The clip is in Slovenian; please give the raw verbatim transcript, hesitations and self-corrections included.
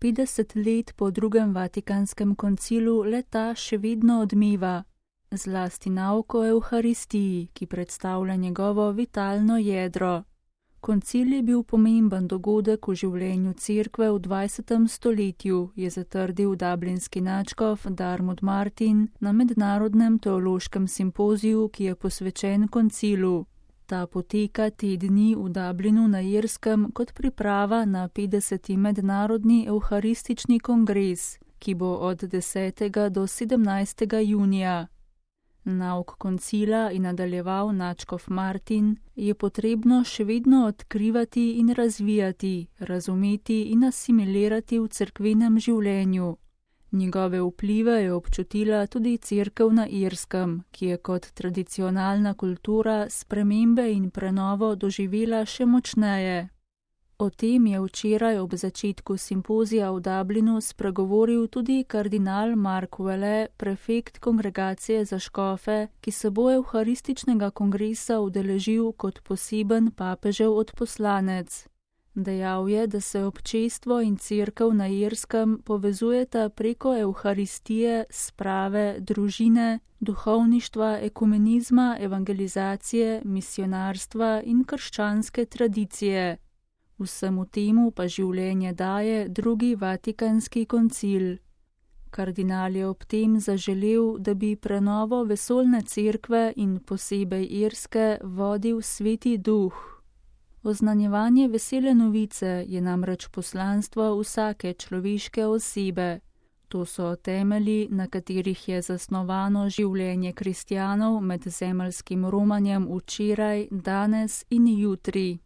petdeset let po drugem Vatikanskem koncilu le-ta še vedno odmeva, zlasti nauk o Evharistiji, ki predstavlja njegovo vitalno jedro. Koncil je bil pomemben dogodek v življenju cerkve v dvajsetem stoletju, je zatrdil dublinski nadškof Diarmuid Martin na mednarodnem teološkem simpoziju, ki je posvečen koncilu. Ta poteka te dni v Dublinu na Irskem kot priprava na petdeseti mednarodni evharistični kongres, ki bo od desetega do sedemnajstega junija. Nauk koncila, je nadaljeval nadškof Martin, je potrebno še vedno odkrivati in razvijati, razumeti in asimilirati v cerkvenem življenju. Njegove vplive je občutila tudi cerkev na Irskem, ki je kot tradicionalna kultura spremembe in prenovo doživela še močneje. O tem je včeraj ob začetku simpozija v Dublinu spregovoril tudi kardinal Mark Welle, prefekt kongregacije za škofe, ki se bo evharističnega kongresa udeležil kot poseben papežev odposlanec. Dejal je, da se občestvo in cerkev na Irskem povezujeta preko evharistije, sprave, družine, duhovništva, ekumenizma, evangelizacije, misionarstva in krščanske tradicije. Vsemu temu pa življenje daje drugi Vatikanski koncil. Kardinal je ob tem zaželel, da bi prenovo vesoljne cerkve in posebej irske vodil Sveti Duh. Oznanjevanje vesele novice je namreč poslanstvo vsake človeške osebe. To so temelji, na katerih je zasnovano življenje kristjanov med zemeljskim romanjem včeraj, danes in jutri.